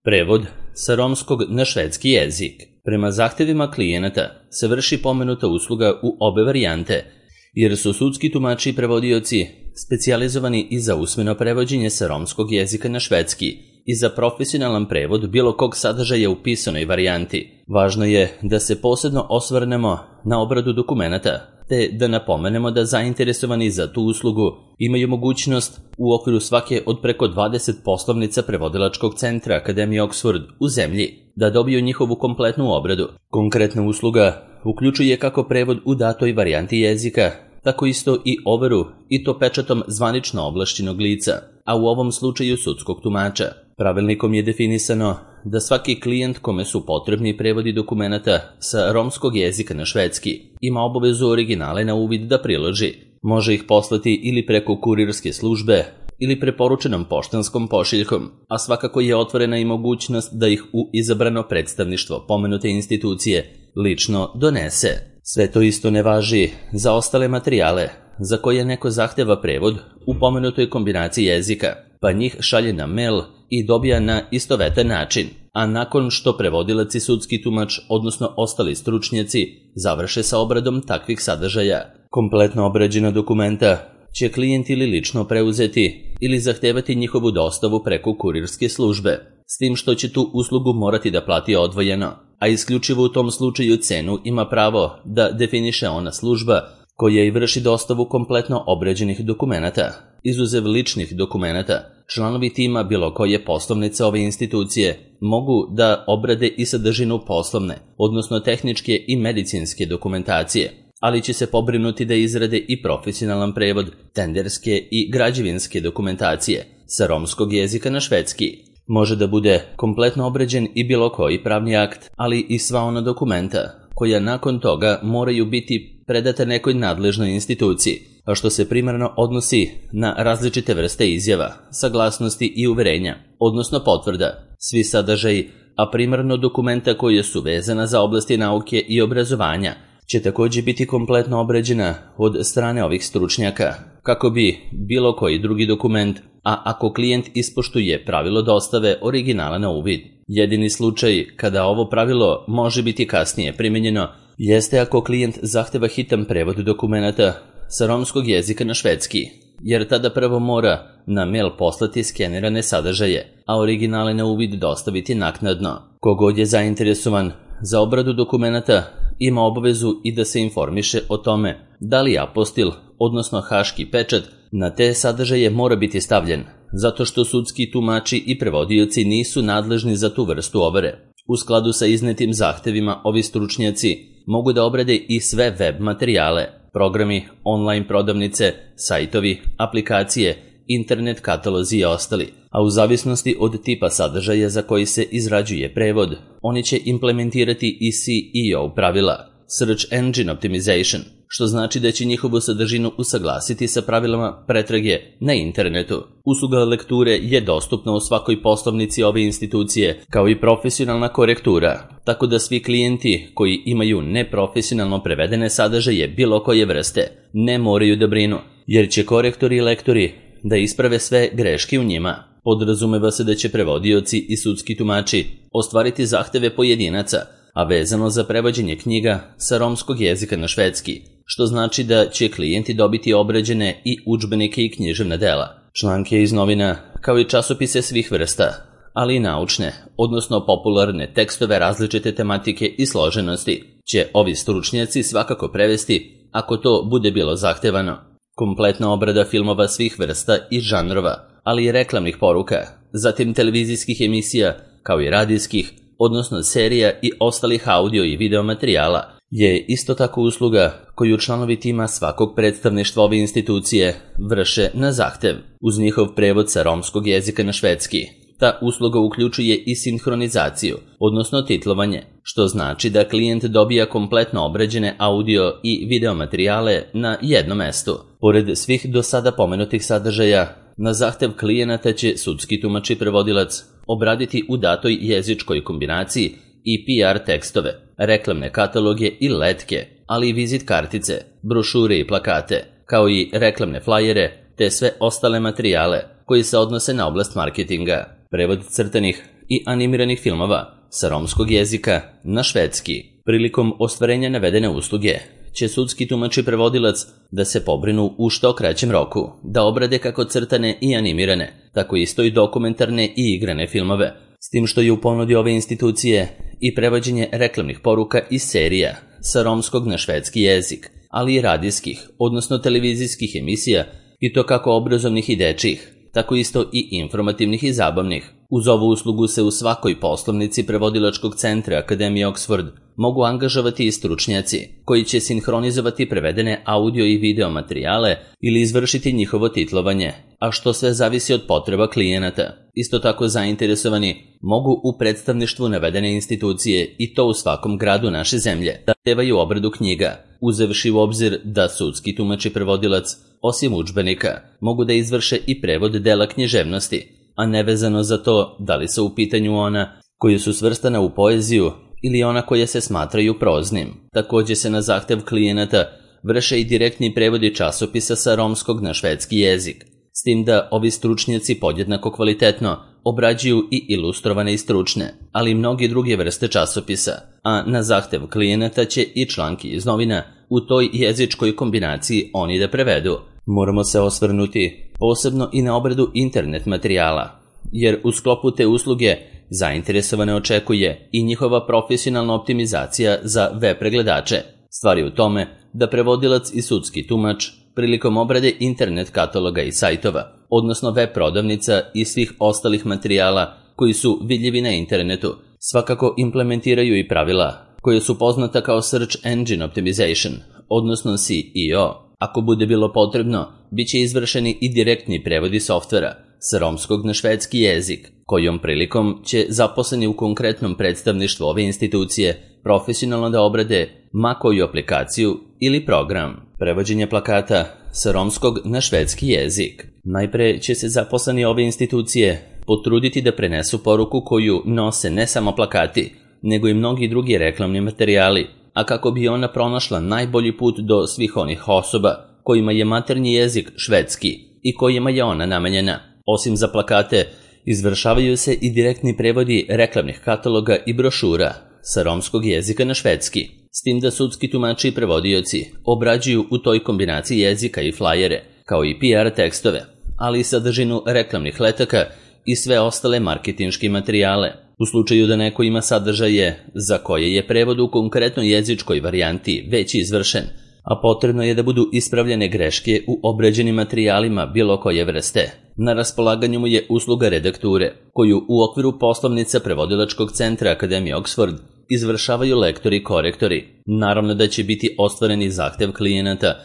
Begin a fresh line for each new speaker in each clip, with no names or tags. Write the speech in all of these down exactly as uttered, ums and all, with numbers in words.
Prevod sa romskog na švedski jezik. Prema zahtevima klijenata se vrši pomenuta usluga u obe varijante, jer su sudski tumači i prevodioci specijalizovani i za usmeno prevođenje sa romskog jezika na švedski i za profesionalan prevod bilo kog sadržaja u pisanoj varijanti. Važno je da se posebno osvrnemo na obradu dokumenata, te da napomenemo da zainteresovani za tu uslugu imaju mogućnost u okviru svake od preko dvadeset poslovnica prevodilačkog centra Akademije Oxford u zemlji da dobiju njihovu kompletnu obradu. Konkretna usluga uključuje kako prevod u datoj varijanti jezika, tako isto i overu i to pečatom zvanično ovlašćenog lica, a u ovom slučaju sudskog tumača. Pravilnikom je definisano da svaki klijent kome su potrebni prevodi dokumenata sa romskog jezika na švedski ima obavezu originale na uvid da priloži. Može ih poslati ili preko kurirske službe ili preporučenom poštanskom pošiljkom, a svakako je otvorena i mogućnost da ih u izabrano predstavništvo pomenute institucije lično donese. Sve to isto ne važi za ostale materijale za koje neko zahteva prevod u pomenutoj kombinaciji jezika, pa njih šalje na mail i dobija na istovetan način, a nakon što prevodilac i sudski tumač, odnosno ostali stručnjaci, završe sa obradom takvih sadržaja. Kompletno obrađena dokumenta će klijent ili lično preuzeti ili zahtevati njihovu dostavu preko kurirske službe, s tim što će tu uslugu morati da plati odvojeno, a isključivo u tom slučaju cenu ima pravo da definiše ona služba koja i vrši dostavu kompletno obrađenih dokumenata. Izuzev ličnih dokumenata, članovi tima bilo koje poslovnice ove institucije mogu da obrade i sadržinu poslovne, odnosno tehničke i medicinske dokumentacije, ali će se pobrinuti da izrade i profesionalan prevod tenderske i građevinske dokumentacije sa romskog jezika na švedski. Može da bude kompletno obrađen i bilo koji pravni akt, ali i sva ona dokumenta koja nakon toga moraju biti predata nekoj nadležnoj instituciji, a što se primarno odnosi na različite vrste izjava, saglasnosti i uverenja, odnosno potvrda. Svi sadržaji, a primarno dokumenta koje su vezana za oblasti nauke i obrazovanja, će također biti kompletno obrađena od strane ovih stručnjaka, kako bi bilo koji drugi dokument, a ako klijent ispoštuje pravilo dostave originala na uvid. Jedini slučaj kada ovo pravilo može biti kasnije primenjeno jeste ako klijent zahteva hitan prevod dokumenata sa romskog jezika na švedski, jer tada prvo mora na mail poslati skenirane sadržaje, a originale na uvid dostaviti naknadno. Kogod je zainteresovan za obradu dokumenata ima obavezu i da se informiše o tome da li apostil, odnosno haški pečat, na te sadržaje mora biti stavljen, zato što sudski tumači i prevodioci nisu nadležni za tu vrstu overe. U skladu sa iznetim zahtevima ovi stručnjaci mogu da obrade i sve web materijale, programi, online prodavnice, sajtovi, aplikacije, internet katalozi i ostali, a u zavisnosti od tipa sadržaja za koji se izrađuje prevod, oni će implementirati i C E O pravila, Search Engine Optimization, što znači da će njihovu sadržinu usaglasiti sa pravilama pretrage na internetu. Usluga lekture je dostupna u svakoj poslovnici ove institucije, kao i profesionalna korektura, tako da svi klijenti koji imaju neprofesionalno prevedene sadržaje bilo koje vrste ne moraju da brinu, jer će korektori i lektori da isprave sve greške u njima. Podrazumeva se da će prevodioci i sudski tumači ostvariti zahteve pojedinaca, a vezano za prevođenje knjiga sa romskog jezika na švedski, što znači da će klijenti dobiti obrađene i udžbenike i književna dela, članke iz novina, kao i časopise svih vrsta, ali i naučne, odnosno popularne tekstove različite tematike i složenosti, će ovi stručnjaci svakako prevesti ako to bude bilo zahtevano. Kompletna obrada filmova svih vrsta i žanrova, ali i reklamnih poruka, zatim televizijskih emisija, kao i radijskih, odnosno serija i ostalih audio i video materijala, je isto tako usluga koju članovi tima svakog predstavništva ove institucije vrše na zahtev, uz njihov prevod sa romskog jezika na švedski. Ta usluga uključuje i sinhronizaciju, odnosno titlovanje, što znači da klijent dobija kompletno obrađene audio i video materijale na jednom mestu. Pored svih do sada pomenutih sadržaja, na zahtev klijenata će sudski tumač i prevodilac obraditi u datoj jezičkoj kombinaciji i P R tekstove, reklamne kataloge i letke, ali i vizit kartice, brošure i plakate, kao i reklamne flajere, te sve ostale materijale koji se odnose na oblast marketinga. Prevod crtanih i animiranih filmova sa romskog jezika na švedski. Prilikom ostvarenja navedene usluge će sudski tumač i prevodilac da se pobrinu u što kraćem roku, da obrade kako crtane i animirane, tako isto i dokumentarne i igrane filmove, s tim što je u ponudi ove institucije i prevođenje reklamnih poruka i serija sa romskog na švedski jezik, ali i radijskih, odnosno televizijskih emisija, i to kako obrazovnih i dečjih, tako isto i informativnih i zabavnih. Uz ovu uslugu se u svakoj poslovnici prevodilačkog centra Akademije Oxford mogu angažovati i stručnjaci koji će sinhronizovati prevedene audio i video materijale ili izvršiti njihovo titlovanje, a što sve zavisi od potreba klijenata. Isto tako zainteresovani mogu u predstavništvu navedene institucije, i to u svakom gradu naše zemlje, da zahtevaju obradu knjiga, uzevši u obzir da sudski tumač i prevodilac, osim udžbenika, mogu da izvrše i prevod dela književnosti, a nevezano za to da li su u pitanju ona koja su svrstana u poeziju ili ona koja se smatraju proznim. Također se na zahtev klijenata vrše i direktni prevodi časopisa sa romskog na švedski jezik, s tim da ovi stručnjaci podjednako kvalitetno obrađuju i ilustrovane i stručne, ali i mnogi druge vrste časopisa, a na zahtev klijenata će i članki iz novina u toj jezičkoj kombinaciji oni da prevedu. Moramo se osvrnuti posebno i na obradu internet materijala, jer u sklopu te usluge zainteresovane očekuje i njihova profesionalna optimizacija za web pregledače. Stvar je u tome da prevodilac i sudski tumač prilikom obrade internet kataloga i sajtova, odnosno web prodavnica i svih ostalih materijala koji su vidljivi na internetu, svakako implementiraju i pravila koje su poznata kao Search Engine Optimization, odnosno S E O. Ako bude bilo potrebno, bit će izvršeni i direktni prevodi softvera sa romskog na švedski jezik, kojom prilikom će zaposleni u konkretnom predstavništvu ove institucije profesionalno da obrade ma koju aplikaciju ili program. Prevođenje plakata sa romskog na švedski jezik. Najpre će se zaposleni ove institucije potruditi da prenesu poruku koju nose ne samo plakati, nego i mnogi drugi reklamni materijali, a kako bi ona pronašla najbolji put do svih onih osoba kojima je maternji jezik švedski i kojima je ona namenjena. Osim za plakate, izvršavaju se i direktni prevodi reklamnih kataloga i brošura sa romskog jezika na švedski, s tim da sudski tumači i prevodioci obrađuju u toj kombinaciji jezika i flajere, kao i P R tekstove, ali i sadržinu reklamnih letaka i sve ostale marketinške materijale. U slučaju da neko ima sadržaje za koje je prevod u konkretnoj jezičkoj varijanti već izvršen, a potrebno je da budu ispravljene greške u obrađenim materijalima bilo koje vrste, na raspolaganju mu je usluga redakture, koju u okviru poslovnica prevodilačkog centra Akademije Oxford izvršavaju lektori i korektori. Naravno da će biti ostvareni zahtev klijenata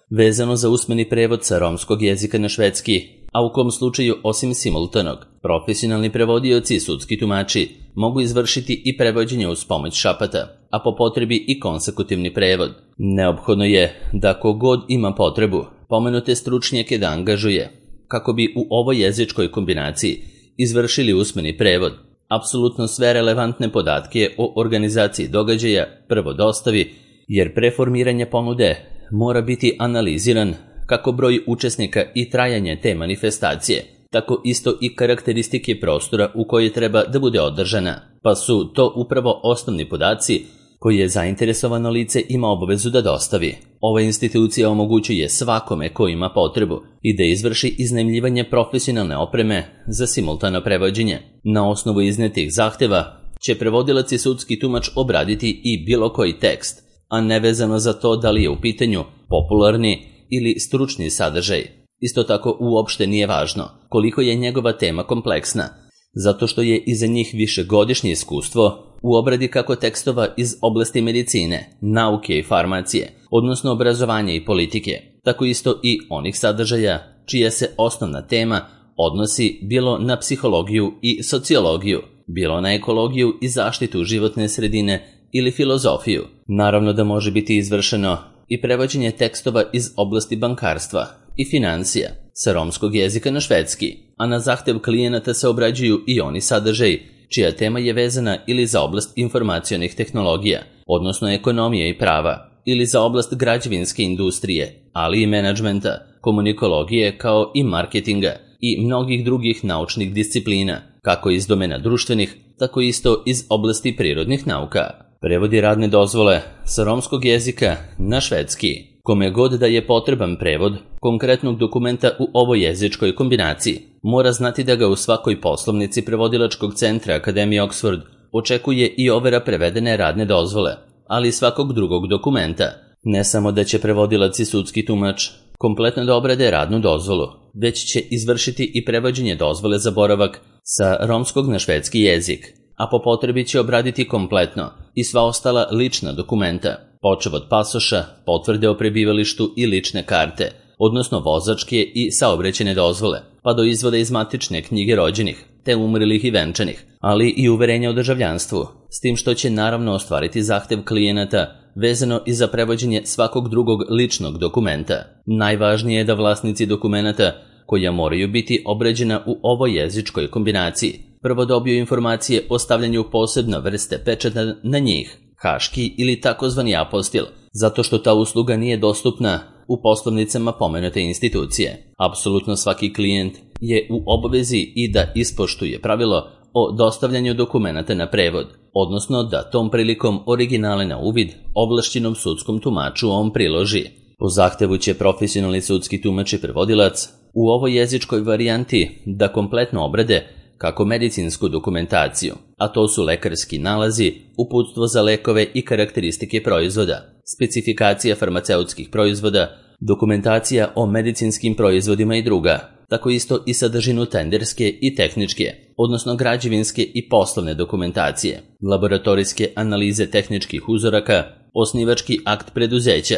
vezano za usmeni prevod sa romskog jezika na švedski, a u kom slučaju osim simultanog, profesionalni prevodioci i sudski tumači mogu izvršiti i prevođenje uz pomoć šapata, a po potrebi i konsekutivni prevod. Neophodno je da kogod ima potrebu pomenute stručnjake da angažuje, kako bi u ovoj jezičkoj kombinaciji izvršili usmeni prevod. Apsolutno sve relevantne podatke o organizaciji događaja prvo dostavi, jer pre formiranja ponude mora biti analiziran kako broj učesnika i trajanje te manifestacije, tako isto i karakteristike prostora u kojoj treba da bude održana, pa su to upravo osnovni podaci koje zainteresovano lice ima obavezu da dostavi. Ova institucija omogućuje svakome ko ima potrebu i da izvrši iznajmljivanje profesionalne opreme za simultano prevođenje. Na osnovu iznetih zahteva će prevodilac i sudski tumač obraditi i bilo koji tekst, a nevezano za to da li je u pitanju popularni ili stručni sadržaj. Isto tako uopšte nije važno koliko je njegova tema kompleksna, zato što je iza njih višegodišnje iskustvo u obradi kako tekstova iz oblasti medicine, nauke i farmacije, odnosno obrazovanja i politike, tako isto i onih sadržaja čija se osnovna tema odnosi bilo na psihologiju i sociologiju, bilo na ekologiju i zaštitu životne sredine ili filozofiju. Naravno da može biti izvršeno i prevođenje tekstova iz oblasti bankarstva i financija sa romskog jezika na švedski, a na zahtev klijenata se obrađuju i oni sadržaji čija tema je vezana ili za oblast informacionih tehnologija, odnosno ekonomije i prava, ili za oblast građevinske industrije, ali i menadžmenta, komunikologije kao i marketinga, i mnogih drugih naučnih disciplina, kako iz domena društvenih, tako isto iz oblasti prirodnih nauka. Prevodi radne dozvole sa romskog jezika na švedski. Kome god da je potreban prevod konkretnog dokumenta u ovoj jezičkoj kombinaciji, mora znati da ga u svakoj poslovnici prevodilačkog centra Akademije Oxford očekuje i overa prevedene radne dozvole, ali i svakog drugog dokumenta. Ne samo da će prevodilac i sudski tumač kompletno da obrade radnu dozvolu, već će izvršiti i prevođenje dozvole za boravak sa romskog na švedski jezik, a po potrebi će obraditi kompletno i sva ostala lična dokumenta, počev od pasoša, potvrde o prebivalištu i lične karte, odnosno vozačke i saobraćajne dozvole, pa do izvoda iz matične knjige rođenih, te umrlih i venčanih, ali i uverenja o državljanstvu, s tim što će naravno ostvariti zahtev klijenata vezano i za prevođenje svakog drugog ličnog dokumenta. Najvažnije je da vlasnici dokumenata, koja moraju biti obrađena u ovoj jezičkoj kombinaciji, prvo dobiju informacije o stavljanju posebne vrste pečata na njih, haški ili takozvani apostil, zato što ta usluga nije dostupna u poslovnicama pomenute institucije. Apsolutno svaki klijent je u obavezi i da ispoštuje pravilo o dostavljanju dokumenata na prevod, odnosno da tom prilikom originale na uvid ovlašćenom sudskom tumaču on priloži. Po zahtevu će profesionalni sudski tumač i prevodilac u ovoj jezičkoj varijanti da kompletno obrade kako medicinsku dokumentaciju, a to su lekarski nalazi, uputstvo za lekove i karakteristike proizvoda, specifikacija farmaceutskih proizvoda, dokumentacija o medicinskim proizvodima i druga, tako isto i sadržinu tenderske i tehničke, odnosno građevinske i poslovne dokumentacije, laboratorijske analize tehničkih uzoraka, osnivački akt preduzeća,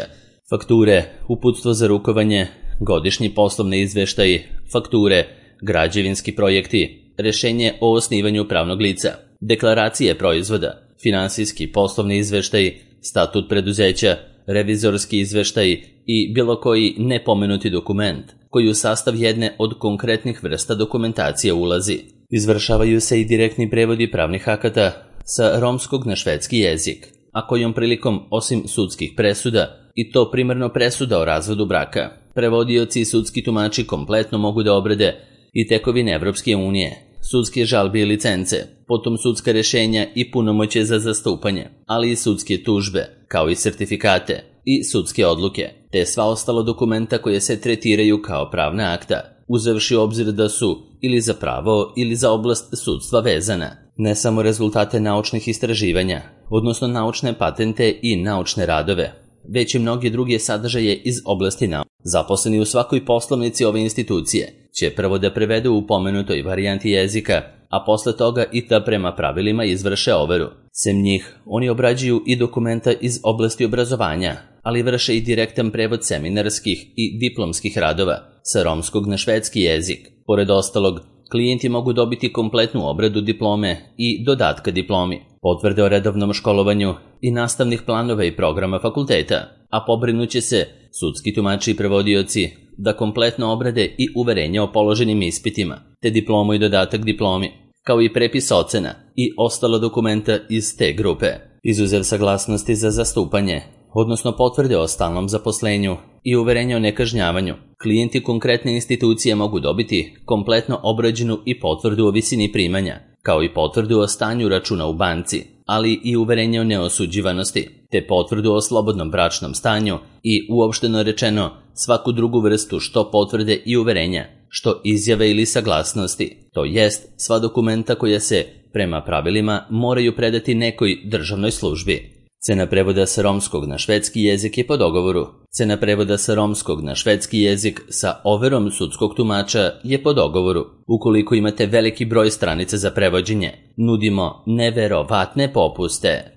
fakture, uputstvo za rukovanje, godišnji poslovni izveštaji, fakture, građevinski projekti, rešenje o osnivanju pravnog lica, deklaracije proizvoda, finansijski poslovni izveštaji, statut preduzeća, revizorski izveštaji i bilo koji nepomenuti dokument koji u sastav jedne od konkretnih vrsta dokumentacije ulazi. Izvršavaju se i direktni prevodi pravnih akata sa romskog na švedski jezik, a kojom prilikom osim sudskih presuda, i to primarno presuda o razvodu braka, prevodioci i sudski tumači kompletno mogu da obrade i tekovine Evropske unije, sudske žalbe i licence, potom sudska rešenja i punomoćje za zastupanje, ali i sudske tužbe, kao i sertifikate i sudske odluke, te sva ostala dokumenta koje se tretiraju kao pravna akta, uzevši u obzir da su ili za pravo ili za oblast sudstva vezana. Ne samo rezultate naučnih istraživanja, odnosno naučne patente i naučne radove, već i mnogi druge sadržaje iz oblasti nauke. Zaposleni u svakoj poslovnici ove institucije će prvo da prevedu u pomenutoj varijanti jezika, a posle toga i da prema pravilima izvrše overu. Sem njih, oni obrađuju i dokumenta iz oblasti obrazovanja, ali vrše i direktan prevod seminarskih i diplomskih radova sa romskog na švedski jezik. Pored ostalog, klijenti mogu dobiti kompletnu obradu diplome i dodatka diplomi, potvrde o redovnom školovanju i nastavnih planova i programa fakulteta, a pobrinuće se sudski tumači i prevodioci da kompletno obrade i uverenja o položenim ispitima, te diplomu i dodatak diplomi, kao i prepis ocena i ostala dokumenta iz te grupe. Izuzev saglasnosti za zastupanje, odnosno potvrde o stalnom zaposlenju i uverenja o nekažnjavanju, klijenti konkretne institucije mogu dobiti kompletno obrađenu i potvrdu o visini primanja, kao i potvrdu o stanju računa u banci, ali i uverenje o neosuđivanosti, te potvrdu o slobodnom bračnom stanju i, uopšteno rečeno, svaku drugu vrstu što potvrde i uverenja, što izjave ili saglasnosti, to jest sva dokumenta koja se, prema pravilima, moraju predati nekoj državnoj službi. Cena prevoda sa romskog na švedski jezik je po dogovoru. Cena prevoda sa romskog na švedski jezik sa overom sudskog tumača je po dogovoru. Ukoliko imate veliki broj stranica za prevođenje, nudimo neverovatne popuste.